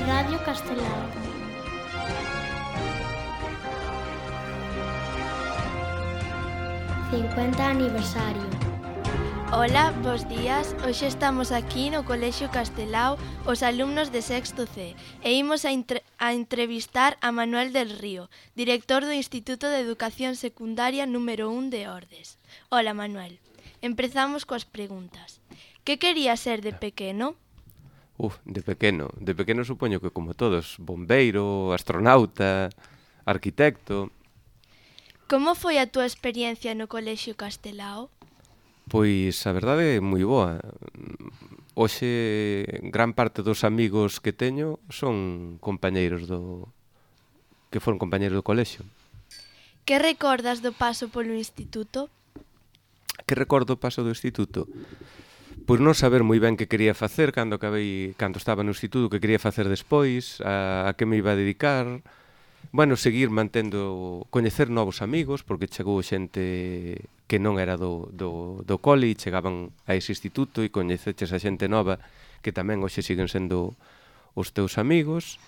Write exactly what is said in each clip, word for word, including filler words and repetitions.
Radio Castelao. cincuenta aniversario. Ola, bos días. Hoxe estamos aquí no Colexio Castelao, os alumnos de sexto C, e imos a, entre a entrevistar a Manuel del Río, director do Instituto de Educación Secundaria número un de Ordes. Ola, Manuel. Empezamos coas preguntas. Que querías ser de pequeno? Uf, de pequeno. De pequeno supoño que como todos, bombeiro, astronauta, arquitecto. Como foi a túa experiencia no Colexio Castelao? Pois a verdade é moi boa. Hoxe gran parte dos amigos que teño son compañeiros do que foron compañeiros do colexio. Que recordas do paso polo instituto? Que recordo o paso do instituto? Pois non saber moi ben que quería facer cando acabei, cando estaba no instituto, que quería facer despois, a, a que me iba a dedicar. Bueno, seguir mantendo, coñecer novos amigos, porque chegou xente que non era do, do, do cole e chegaban a ese instituto e coñeceches a xente nova que tamén hoxe siguen sendo os teus amigos.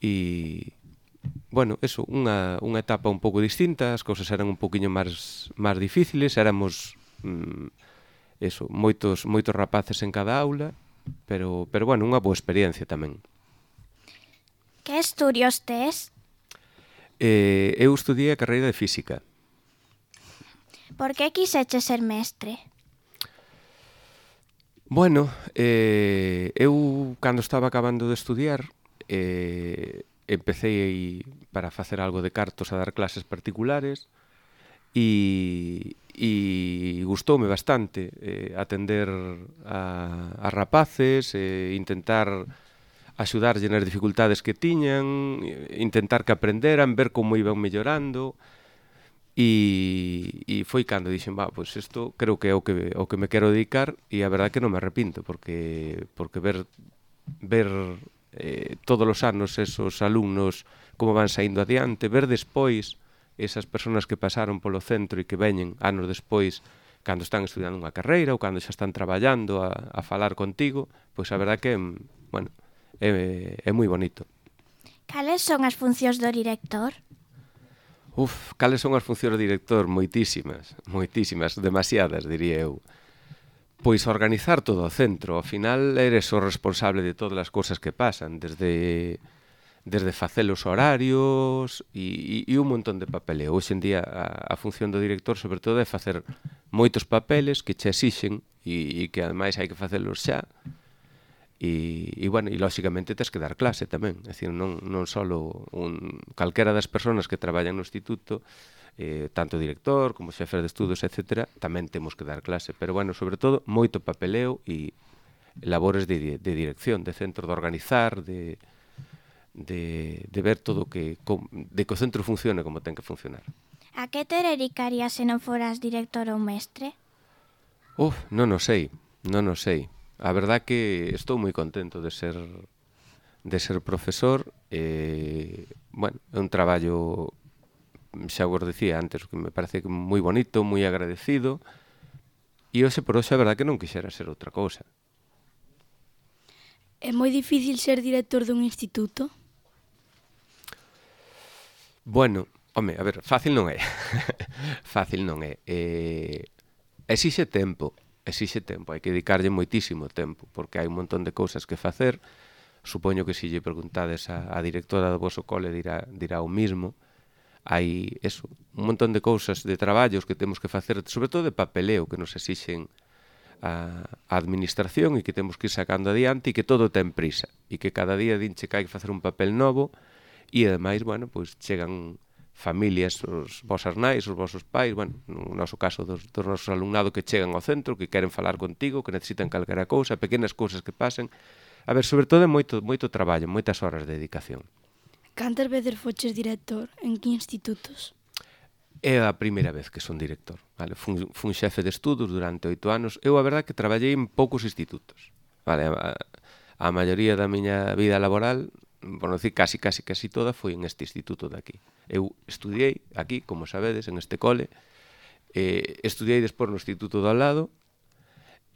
E, bueno, eso, unha, unha etapa un pouco distinta, as cousas eran un poquinho máis, máis difíciles, éramos... Mm, eso, moitos moitos rapaces en cada aula, pero pero bueno, unha boa experiencia tamén. Que estudios tes? Eh, eu estudiei a carreira de física. Por que quixeches ser mestre? Bueno, eh, eu cando estaba acabando de estudiar, eh, empecé para facer algo de cartos a dar clases particulares e e gustoume bastante eh, atender a, a rapaces, eh, intentar axudarlle nas dificultades que tiñan, intentar que aprenderan, ver como iban mellorando e, e foi cando dixen, va, pois isto creo que é o que, o que me quero dedicar e a verdade que non me arrepinto porque, porque ver, ver eh, todos os anos esos alumnos como van saindo adiante, ver despois esas persoas que pasaron polo centro e que veñen anos despois cando están estudiando unha carreira ou cando xa están traballando a, a falar contigo, pois a verdad que, bueno, é, é moi bonito. Cales son as funcións do director? Uf, cales son as funcións do director? Moitísimas, moitísimas, demasiadas, diría eu. Pois organizar todo o centro, ao final eres o responsable de todas as cousas que pasan, desde... desde facer os horarios e, e, e un montón de papeleo. Hoxe en día a, a función do director sobre todo é facer moitos papeles que che exixen e, e que ademais hai que facelos xa e, e bueno, e lóxicamente tes que dar clase tamén, é dicir, non, non só un, calquera das persoas que traballan no instituto, eh, tanto o director como xefe de estudos, etcétera, tamén temos que dar clase, pero bueno, sobre todo moito papeleo e labores de, de dirección, de centro, de organizar, de De, de ver todo que de que o centro funcione como ten que funcionar. A que te dedicarías se non foras director ou mestre? Uf, non o sei, non o sei. A verdad que estou moi contento de ser de ser profesor. Eh, bueno, é un traballo, xa vos dicía antes, que me parece moi bonito, moi agradecido. E hoxe por hoxe a verdad que non quixera ser outra cousa. É moi difícil ser director dun instituto? Bueno, home, a ver, fácil non é. Fácil non é. Eh, exixe tempo, exixe tempo. Hai que dedicarlle moitísimo tempo, porque hai un montón de cousas que facer. Supoño que se lle preguntades a, a directora do voso cole dirá, dirá o mismo. Hai, eso, un montón de cousas, de traballos que temos que facer, sobre todo de papeleo, que nos exixen a, a administración e que temos que ir sacando adiante e que todo ten prisa. E que cada día dinche que hai que facer un papel novo. E, ademais, bueno, pois chegan familias, os vosas nais, os vosos pais, bueno, no noso caso dos, dos nosos alumnados que chegan ao centro, que queren falar contigo, que necesitan calquera cousa, pequenas cousas que pasen. A ver, sobre todo é moito, moito traballo, moitas horas de dedicación. Cantas veces foches director? En que institutos? É a primeira vez que son director. Vale? Fun, fun xefe de estudos durante oito anos. Eu, a verdade, que traballei en poucos institutos. Vale? A, a maioría da miña vida laboral, por non dicir casi, casi, casi toda, foi en este instituto de aquí. Eu estudiei aquí, como sabedes, en este cole, eh, estudiei despois no instituto do ao lado,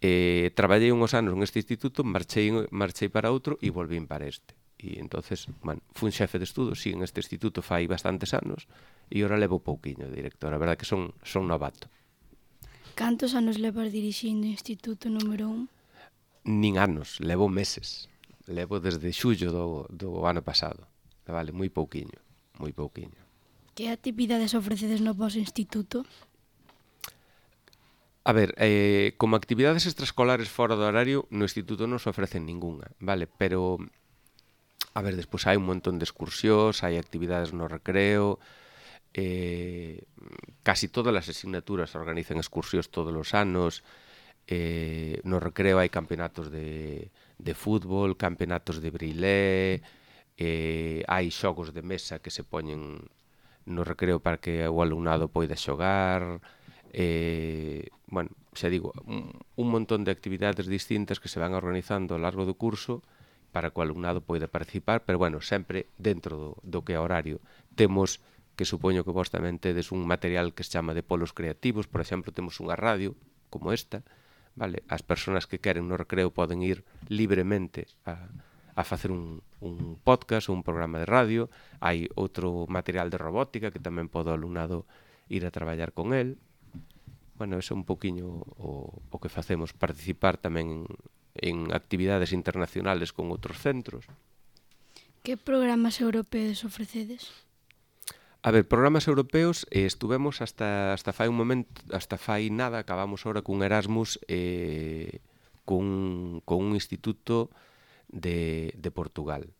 eh, traballei unhos anos neste instituto, marchei, marchei para outro e volvín para este. E entonces, bueno, fui xefe de estudos, sí, en este instituto fai bastantes anos, e ora levo pouquiño de director, a verdade que son, son novato. Cantos anos levas dirixindo o Instituto número un? Nin anos, levo meses. Levo desde xullo do, do ano pasado. Vale, moi pouquiño, moi pouquiño. Que actividades ofrecedes no vosso instituto? A ver, eh, como actividades extraescolares fora do horario, no instituto non se ofrecen ningunha, vale? Pero, a ver, despois hai un montón de excursións, hai actividades no recreo, eh, casi todas as asignaturas organizan excursións todos os anos, eh, no recreo hai campeonatos de, de fútbol, campeonatos de brilé, eh, hai xogos de mesa que se poñen no recreo para que o alumnado poida xogar, eh, bueno, xa digo, un, un montón de actividades distintas que se van organizando ao largo do curso para que o alumnado poida participar, pero bueno, sempre dentro do, do que é horario. Temos, que supoño que vos tamén tedes un material que se chama de polos creativos, por exemplo, temos unha radio como esta, vale? As persoas que queren no recreo poden ir libremente a, a facer un, un podcast ou un programa de radio. Hai outro material de robótica que tamén pode o alumnado ir a traballar con el. Bueno, eso é un poquinho o, o que facemos, participar tamén en, en actividades internacionales con outros centros. Que programas europeos ofrecedes? A ver, programas europeos, eh, estuvemos hasta hasta fai un momento, hasta fai nada, acabamos ahora cun Erasmus eh, cun, con un instituto de, de Portugal.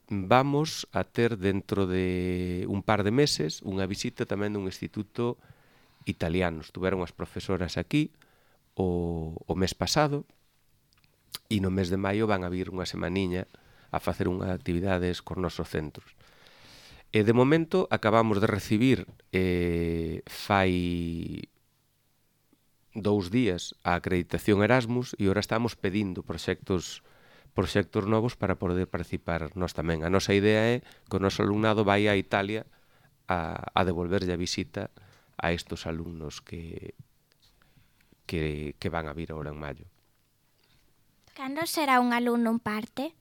Vamos a ter dentro de un par de meses unha visita tamén dun instituto italiano. Estuveron as profesoras aquí o, o mes pasado e no mes de maio van a vir unha semaniña a facer unhas actividades cos nosos centros. E de momento acabamos de recibir eh, fai dous días a acreditación Erasmus e agora estamos pedindo proxectos proxectos novos para poder participar nós tamén. A nosa idea é que o noso alumnado vai a Italia a, a devolverlle a visita a estos alumnos que, que, que van a vir agora en maio. Cando será un alumno en parte?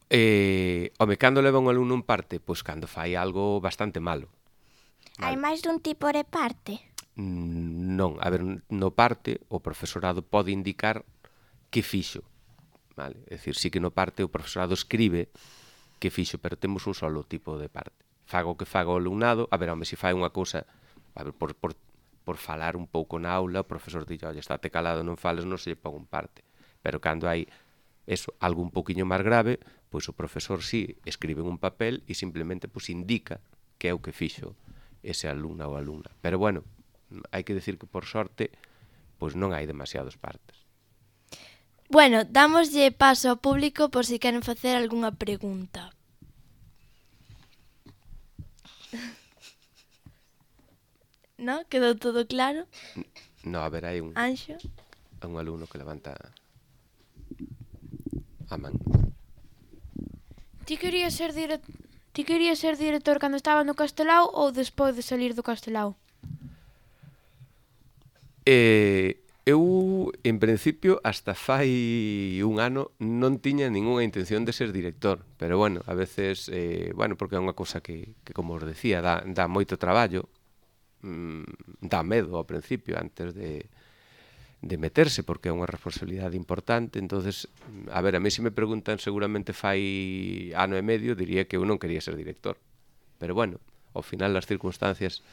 Eh, home, cando leva un alumno en parte? Pois cando fai algo bastante malo. Hai máis dun tipo de parte? Non, a ver, no parte o profesorado pode indicar que fixo, vale? É dicir, sí que no parte o profesorado escribe que fixo, pero temos un solo tipo de parte. Fago que faga o alumnado, a ver, home, se fai unha cousa, a ver, por, por, por falar un pouco na aula, o profesor dille, oye, estate calado, non fales, non se lle pon un parte. Pero cando hai eso, algo un poquinho máis grave, pois o profesor sí escribe en un papel e simplemente pois indica que é o que fixo ese alumna ou alumna. Pero bueno, hai que decir que por sorte pois non hai demasiados partes. Bueno, dámoslle paso ao público por si queren facer algunha pregunta. No? Quedou todo claro? No, a ver, hai un, Anxo? un alumno que levanta a man. Ti querías ser dire... Ti querías ser director cando estaba no Castelao ou despois de salir do Castelao? Eh, eu, en principio, hasta fai un ano non tiña ningunha intención de ser director, pero bueno, a veces, eh, bueno, porque é unha cousa que, que como os decía, dá, dá moito traballo, mm, dá medo ao principio antes de, de meterse, porque é unha responsabilidade importante. Entonces, a ver, a mí se me preguntan seguramente fai ano e medio, diría que eu non quería ser director, pero bueno, ao final as circunstancias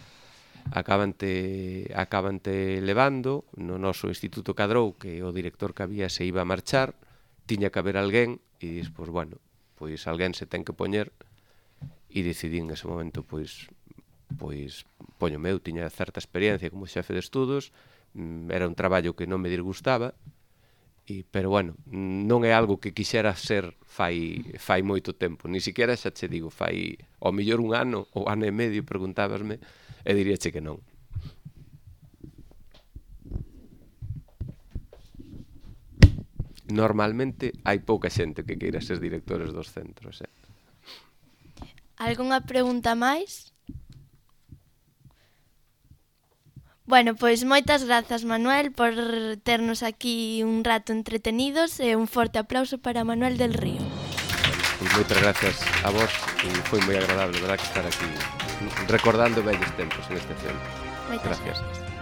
acabante, acabante levando. No noso instituto cadrou que o director que había se iba a marchar, tiña que haber alguén e dis, pois bueno, pois alguén se ten que poñer e decidí en ese momento pois pois poño meu, tiña certa experiencia como xefe de estudos, era un traballo que non me disgustaba, e, pero bueno, non é algo que quixera ser fai, fai moito tempo, ni siquiera xa che digo, fai ao mellor un ano ou ano e medio, preguntábasme, e diríache que non. Normalmente hai pouca xente que queira ser directores dos centros, eh? Algunha pregunta máis? Bueno, pois moitas grazas, Manuel, por ternos aquí un rato entretenidos e un forte aplauso para Manuel del Río. Pois moitas gracias a vos e foi moi agradable, verdad, que estar aquí recordando vellos tempos en este centro. Moitas Gracias. gracias.